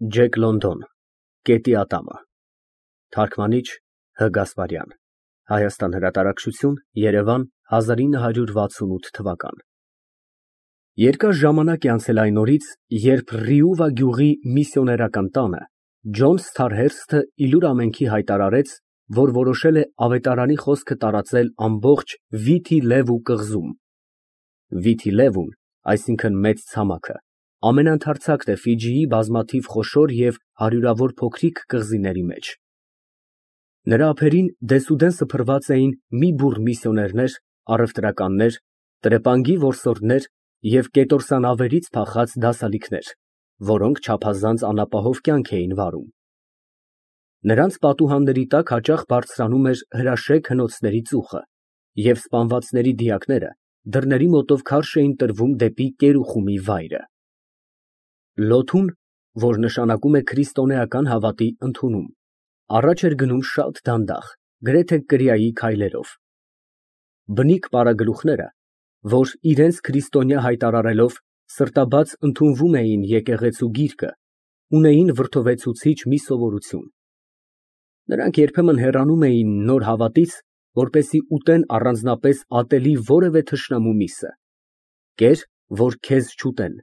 Ջեք Լոնդոն, Կետի ատամը, թարգմանիչ Հ. Գասպարյան, Հայաստան հրատարակչություն, Երևան 1968 Երկար ժամանակ է անցել այն օրից, երբ Ռիուվա գյուղի միսիոներական տանը Ջոն Սթարհերսթը իլուր ամենքի հայտարարեց, որ որոշել է ավետարանի խոսքը տարածել ամբողջ Վիթի Լևու կղզում։ Վիթի Լևուն, այսինքն մեծ ցամաքը, ամենաընդարձակն է Ֆիջիի բազմաթիվ խոշոր և հարյուրավոր փոքրիկ կղզիների մեջ։ Նրա ափերին դեսուդեն սփռված էին մի բուռ միսիոներներ, առևտրականներ, տրեպանգի որսորդներ և կետորսանավերից փախած դասալիքներ, որոնք չափազանց անապահով կյանք էին վարում։ Նրանց պատուհանների տակ հաճախ բարձրանում էր հրաշեգ հնոցների ծուխը, և սպանվածների դիակները դռների մոտով քարշ էին տրվում դեպի կերուխումի վայրը։ Լոթուն, որ նշանակում է քրիստոնեական հավատի ընդունում, առաջ էր գնում շատ դանդաղ, գրեթե կրիայի քայլերով։ Բնիկ պարագլուխները, որ իրենց քրիստոնյա հայտարարելով սրտաբաց ընդունվում էին եկեղեցու գիրկը, ունեին վրդովեցուցիչ մի սովորություն։ Նրանք երբեմն հեռանում էին նոր հավատից, որպեսզի ուտեն առանձնապես ատելի որևէ թշնամու միսը։ Կեր, որ քեզ չուտեն,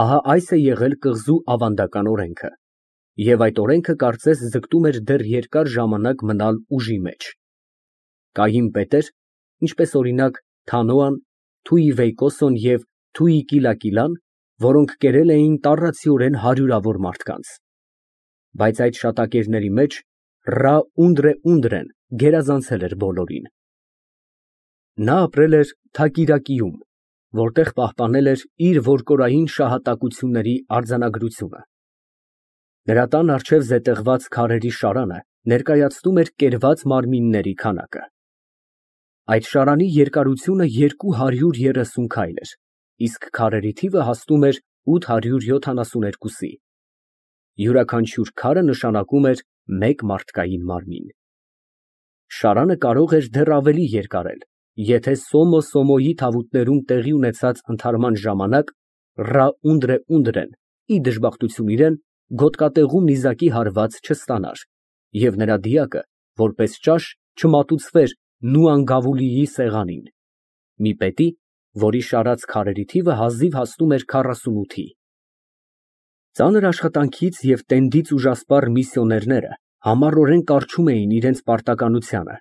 ահա այս է եղել կղզու ավանդական օրենքը, և այդ օրենքը կարծես ձգտում էր դեռ երկար ժամանակ մնալ ուժի մեջ։ Կային պետեր, ինչպես օրինակ Թանոան, Թուիվեյկոսոն և Թուիկիլակիլան, որոնք կերել էին տառացիորեն հարյուրավոր մարդկանց։ Բայց այդ շատակերների մեջ Ռա Ունդրեն գերազանցել էր բոլորին։ Նա ապրել էր Թակիրակիում, որտեղ պահպանել էր իր որդորային շահատակությունների արձանագրությունը։ Նրա տան առջև զետեղված քարերի շարանը ներկայացնում էր կերված մարմինների քանակը։ Այդ շարանի երկարությունը 230 քայլ էր, իսկ քարերի թիվը հասնում էր 872-ի։ Յուրաքանչյուր քարը նշանակում էր մեկ մարդկային մարմին։ Շարանը կարող էր դեռ ավելի երկարել, եթե Սոմո Սոմոյի թավուտներում տեղի ունեցած ընդհարման ժամանակ Ռա Ունդրեն, ի դժբախտություն իրեն, գոտկատեղում նիզակի հարված չստանար, և նրա դիակը, որպես ճաշ, չմատուցվեր Նուանգավուլիի սեղանին, մի պետի, որի շարած քարերի թիվը հազիվ հասնում էր 48-ի։ Ծանր աշխատանքից և տենդից ուժասպառ միսիոներները համառորեն կառչում էին իրենց պարտականությանը,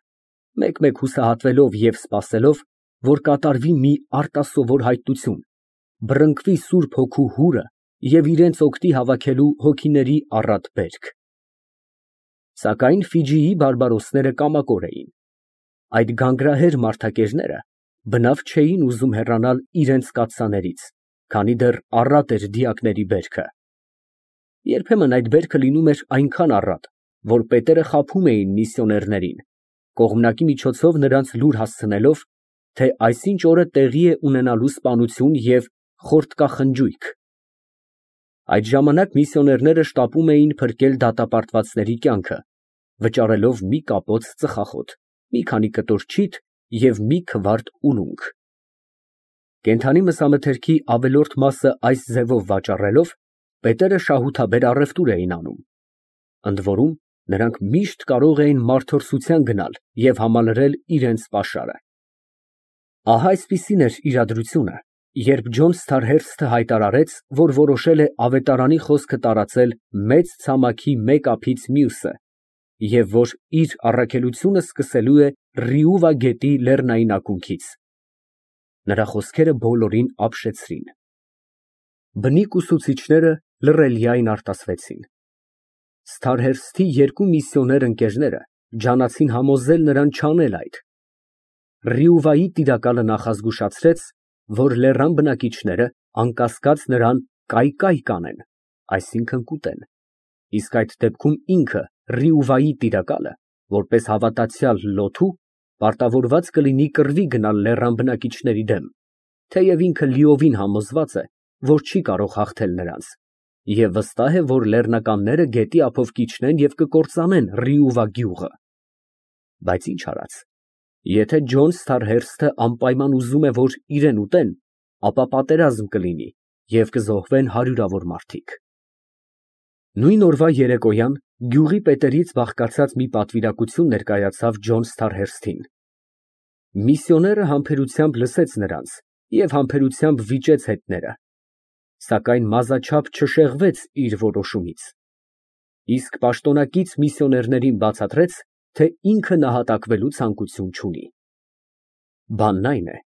մեկ-մեկ հուսահատվելով և սպասելով, որ կատարվի մի արտասովոր հայտնություն, բռնկվի Սուրբ Հոգու հուրը և իրենց օգտի հավաքելու հոգիների առատ բերք։ Սակայն Ֆիջիի բարբարոսները կամակոր էին։ Այդ գանգրահեր մարդակերները բնավ չէին ուզում հեռանալ իրենց կաթսաներից, քանի դեռ առատ էր դիակների բերքը։ Երբեմն այդ բերքը լինում էր այնքան առատ, որ պետերը խաբում էին միսիոներներին, կողմնակի միջոցով նրանց լուր հասցնելով, թե այսինչ օրը տեղի է ունենալու սպանություն և խորտկախնջույք։ Այդ ժամանակ միսիոներները շտապում էին փրկել դատապարտվածների կյանքը, վճարելով մի կապոց ծխախոտ, մի քանի կտոր չիթ և մի քվարտ ուլունք։ Կենդանի մսամթերքի ավելորդ մասը այս ձևով վաճառելով, պետերը շահութաբեր առևտուր էին անում։ Ընդ որում, նրանք միշտ կարող էին մարդորսության գնալ և համալրել իրենց պաշարը։ Ահա այսպիսին էր իրադրությունը, երբ Ջոն Սթարհերսթը հայտարարեց, որ որոշել է ավետարանի խոսքը տարածել մեծ ցամաքի մեկ ափից մյուսը, և որ իր առաքելությունը սկսելու է Ռիուվա գետի լեռնային ակունքից։ Նրա խոսքերը բոլորին ապշեցրին։ Բնիկ ուսուցիչները լռելիայն արտասվեցին։ Սթարհերսթի երկու միսիոներ ընկերները ջանացին համոզել նրան չանել այդ։ Ռիուվայի տիրակալը նախազգուշացրեց, որ լեռան բնակիչները անկասկած նրան կայկայ կանեն, այսինքն կուտեն, իսկ այդ դեպքում ինքը Ռիուվայի տիրակալը, որպես հավատացյալ լոթու, պարտավորված կլինի կռվի գնալ լեռան բնակիչների դեմ, թեև ինքը լիովին համոզված է, որ չի կարող հաղթել նրանց, և վստահ է, որ լեռնականները գետի ափով կիջնեն և կկործանեն Ռիուվա գյուղը։ Բայց ինչ արած, եթե Ջոն Սթարհերսթը անպայման ուզում է, որ իրեն ուտեն, ապա պատերազմ կլինի և կզոհվեն հարյուրավոր մարդիկ։ Նույն օրվա երեկոյան գյուղի պետերից բաղկացած մի պատվիրակություն ներկայացավ Ջոն Սթարհերսթին։ Միսիոները համբերությամբ լսեց նրանց և համբերությամբ վիճեց հետները, սակայն մազաչափ չշեղվեց իր որոշումից, իսկ պաշտոնակից միսիոներներին բացատրեց, թե ինքը նահատակվելու ցանկություն չունի։ Բանն այն է,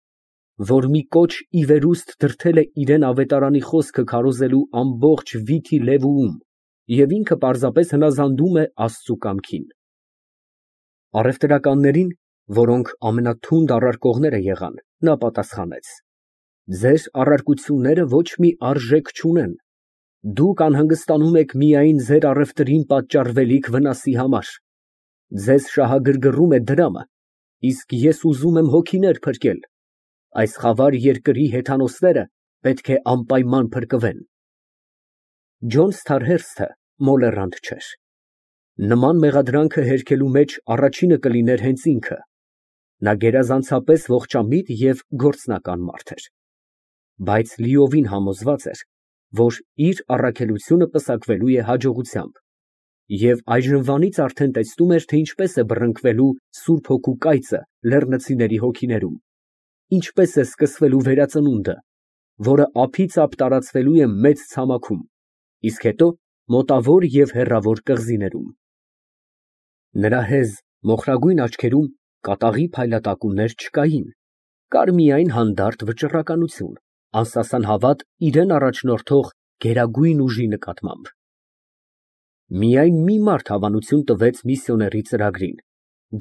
որ մի կոչ ի վերուստ դրդել է իրան ավետարանի խոսքը քարոզելու ամբողջ վիթի լևուում և ինքը պարզապես հնազանդում է Աստծու կամքին։ Առևտրականներին, որոնք ամենաթունդ առարկողները եղան, նա պատասխանեց. ձեր առարկությունները ոչ մի արժեք չունեն, դուք անհանգստանում եք միայն ձեր առևտրին պատճառվելիք վնասի համար, ձեզ շահագրգռում է դրամը, իսկ ես ուզում եմ հոգիներ փրկել, այս խավար երկրի հեթանոսները պետք է անպայման փրկվեն։ Ջոն Սթարհերսթը մոլեռանդ չէր։ Նման մեղադրանքը հերքելու մեջ առաջինը կլիներ հենց ինքը։ Նա գերազանցապես ողջամիտ և գործնական մարդ էր, բայց լիովին համոզված էր, որ իր առաքելությունը պսակվելու է հաջողությամբ, և այժմվանից արդեն տեսնում էր, թե ինչպես է բռնկվելու Սուրբ Հոգու կայծը լեռնցիների հոգիներում, ինչպես է սկսվելու վերածնունդը, որը ափիծափ տարածվելու է մեծ ցամաքում, իսկ հետո մոտավոր և հեռավոր կղզիներում։ Նրա հեզ մոխրագույն աչքերում կատաղի փայլատակումներ չկային, կար միայն հանդարտ վճռականություն, անսասան հավատ իրան առաջնորդող գերագույն ուժի նկատմամբ։ Միայն մի մարդ հավանություն տվեց միսիոների ծրագրին,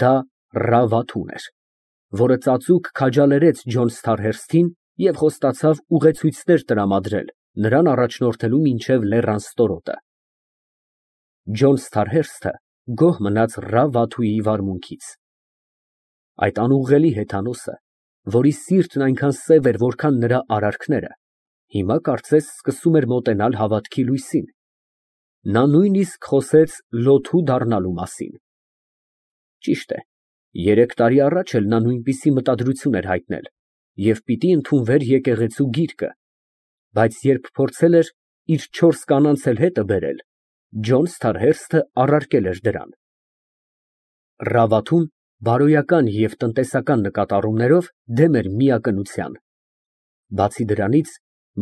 դա Ռավաթուն էր, որը ծածուկ քաջալերեց Ջոն Սթարհերսթին և խոստացավ ուղեցույցներ տրամադրել նրան առաջնորդելու մինչև լեռան ստորոտը։ Ջոն Սթարհերսթը գոհ մնաց Ռավաթուի վարմունքից։ Այդ անուղղելի հեթանոսը, որի սիրտն այնքան սև էր, որքան նրա արարքները, հիմա կարծես սկսում էր մոտենալ հավատքի լույսին։ Նա նույնիսկ խոսեց լոթու դառնալու մասին։ Ճիշտ է, 3 տարի առաջ էլ նա նույնպիսի մտադրություն էր հայտնել և պիտի ընդունվեր եկեղեցու գիրկը, բայց երբ փորձել էր իր 4 կանանց էլ հետը բերել, Ջոն Սթարհերսթը առարկել էր դրան։ Ռավաթուն բարոյական և տնտեսական նկատառումներով դեմ էր միակնության։ Բացի դրանից,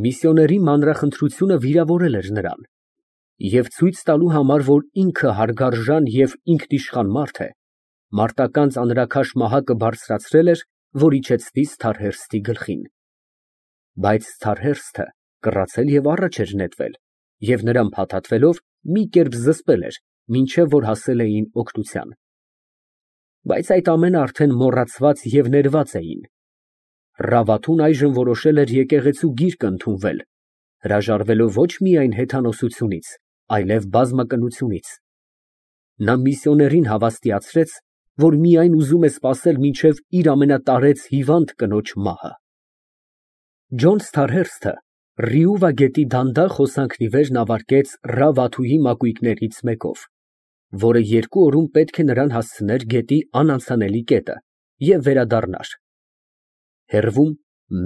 միսիոների մանրախնդրությունը վիրավորել էր նրան, և ցույց տալու համար, որ ինքը հարգարժան և ինքնիշխան մարդ է, մարտական ծանրաքաշ մահակը բարձրացրել էր, որ իջեցնի Սթարհերսթի գլխին։ Բայց Սթարհերսթը կռացել և առաջ էր նետվել և նրան փաթաթվելով մի կերպ զսպել էր, մինչև որ հասել էին օգնության։ Բայց այդ ամենը արդեն մոռացված և ներված էին։ Ռավաթուն այժմ որոշել էր եկեղեցու գիրկը ընդունվել, հրաժարվելով ոչ միայն հեթանոսությունից, այլև բազմակնությունից։ Նա միսիոներին հավաստիացրեց, որ միայն ուզում է սպասել մինչև իր ամենատարեց հիվանդ կնոջ մահը։ Ջոն Սթարհերսթը Ռիուվա գետի դանդաղ հոսանքն ի վեր նավարկեց Ռավաթուի մակույկներից մեկով, որը 2 օրում պետք է նրան հասցներ գետի անանցանելի կետը և վերադառնար։ Հեռվում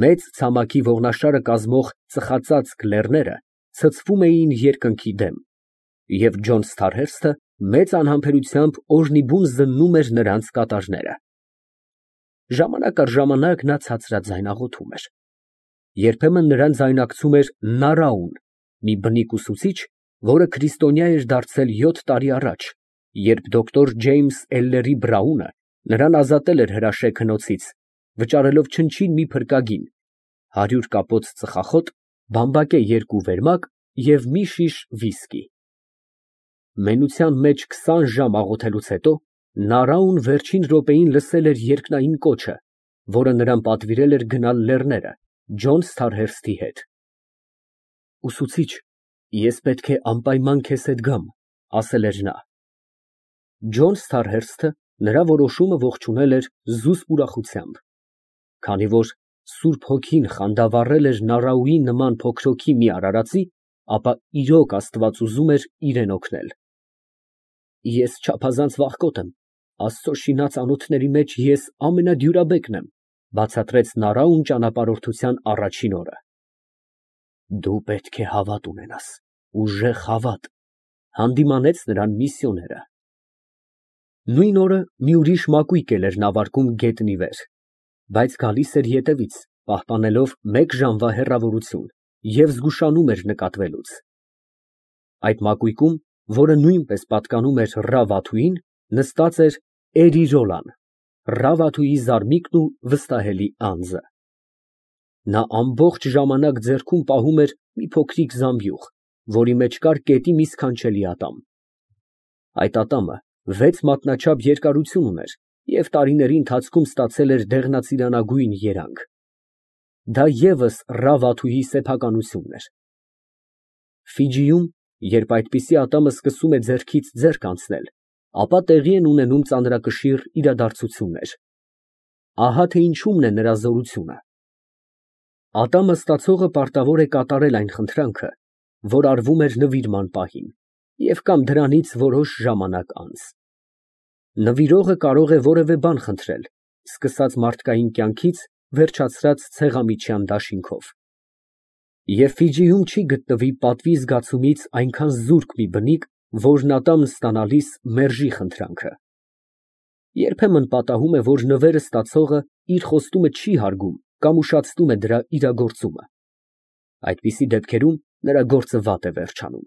մեծ ցամաքի ողնաշարը կազմող ծխածածկ լեռները ցցվում էին երկնքի դեմ, և Ջոն Սթարհերսթը մեծ անհամբերությամբ օրհնիբուն զննում էր նրանց կատարները։ Ժամանակ առ ժամանակ նա ցածրաձայն աղոթում էր։ Երբեմն նրան ձայնակցում էր Նարաուն, մի բնիկ ուսուցիչ, որը քրիստոնյա էր դարձել 7 տարի առաջ, երբ դոկտոր Ջեյմս Էլլերի Բրաունը նրան ազատել էր հրաշեկ հնոցից, վճարելով չնչին մի փրկագին, 100 կապոց ծխախոտ, բամբակե 2 վերմակ և մի շիշ վիսկի։ Մենության մեջ 20 ժամ աղոթելուց հետո Նարաուն վերջին րոպեին լսել էր երկնային կոչը, որը նրան պատվիրել էր գնալ լեռները Ջոն Սթարհերսթի հետ։ Ուսուցիչ, ես պետք է անպայման քեզ հետ գամ, ասել էր նա։ Ջոն Սթարհերսթը նրա որոշումը ողջունել էր զուսպ ուրախությամբ, քանի որ Սուրբ Հոգին խանդավառել էր Նարաուի նման փոքրոքի մի արարածի, ապա իրոք Աստված ուզում էր իրեն օգնել։ Ես չափազանց վախկոտ եմ, Աստծո շինած անոթների մեջ ես ամենադյուրաբեկն եմ, բացատրեց Նարաուն ճանապարհորդության առաջին օրը։ Դու պետք է հավատ ունենաս, ուժեղ հավատ, Հանդիմանեց նրան միսիոները։ Նույն օրը մի ուրիշ մակույկ էլ էր նավարկում գետնի վեր, բայց գալիս էր ետևից, պահպանելով 1 ժամվա հեռավորություն և զգուշանում էր նկատվելուց։ Այդ մակույկում, որը նույնպես պատկանում էր Ռա Վաթուին, նստած էր Էրիրոլան, Ռա Վաթուի զարմիկն ու վստահելի անձը։ Նա ամբողջ ժամանակ ձեռքում պահում էր մի փոքրիկ զամբյուղ, որի մեջ կար կետի մի սքանչելի ատամ։ Այդ ատամը 6 մատնաչափ երկարություն ուներ և տարիների ընթացքում ստացել էր դեղնածիրանագույն երանգ։ Դա ևս Ռա Վաթուի սեփականությունն էր։ Ֆիջիում, երբ այդպիսի ատամը սկսում է ձեռքից ձեռք անցնել, ապա տեղի են ունենում ծանրակշիռ իրադարձություններ։ Ահա թե ինչումն է նրա զորությունը։ Ատամը ստացողը պարտավոր է կատարել այն խնդրանքը, որ արվում էր նվիրման պահին, և կամ դրանից որոշ ժամանակ անց։ Նվիրողը կարող է որևէ բան խնդրել, սկսած մարդկային կյանքից, վերջացրած ցեղամիջյան դաշինքով։ Եվ Ֆիջիում չի գտնվի պատվի զգացումից այնքան զուրկ մի բնիկ, որն ատամն ստանալիս մերժի խնդրանքը։ Երբեմն պատահում է, որ նվերը ստացողը իր խոստումը չի հարգում կամ ուշացնում է դրա իրագործումը։ Այդպիսի դեպքերում նրա գործը վատ է վերջանում։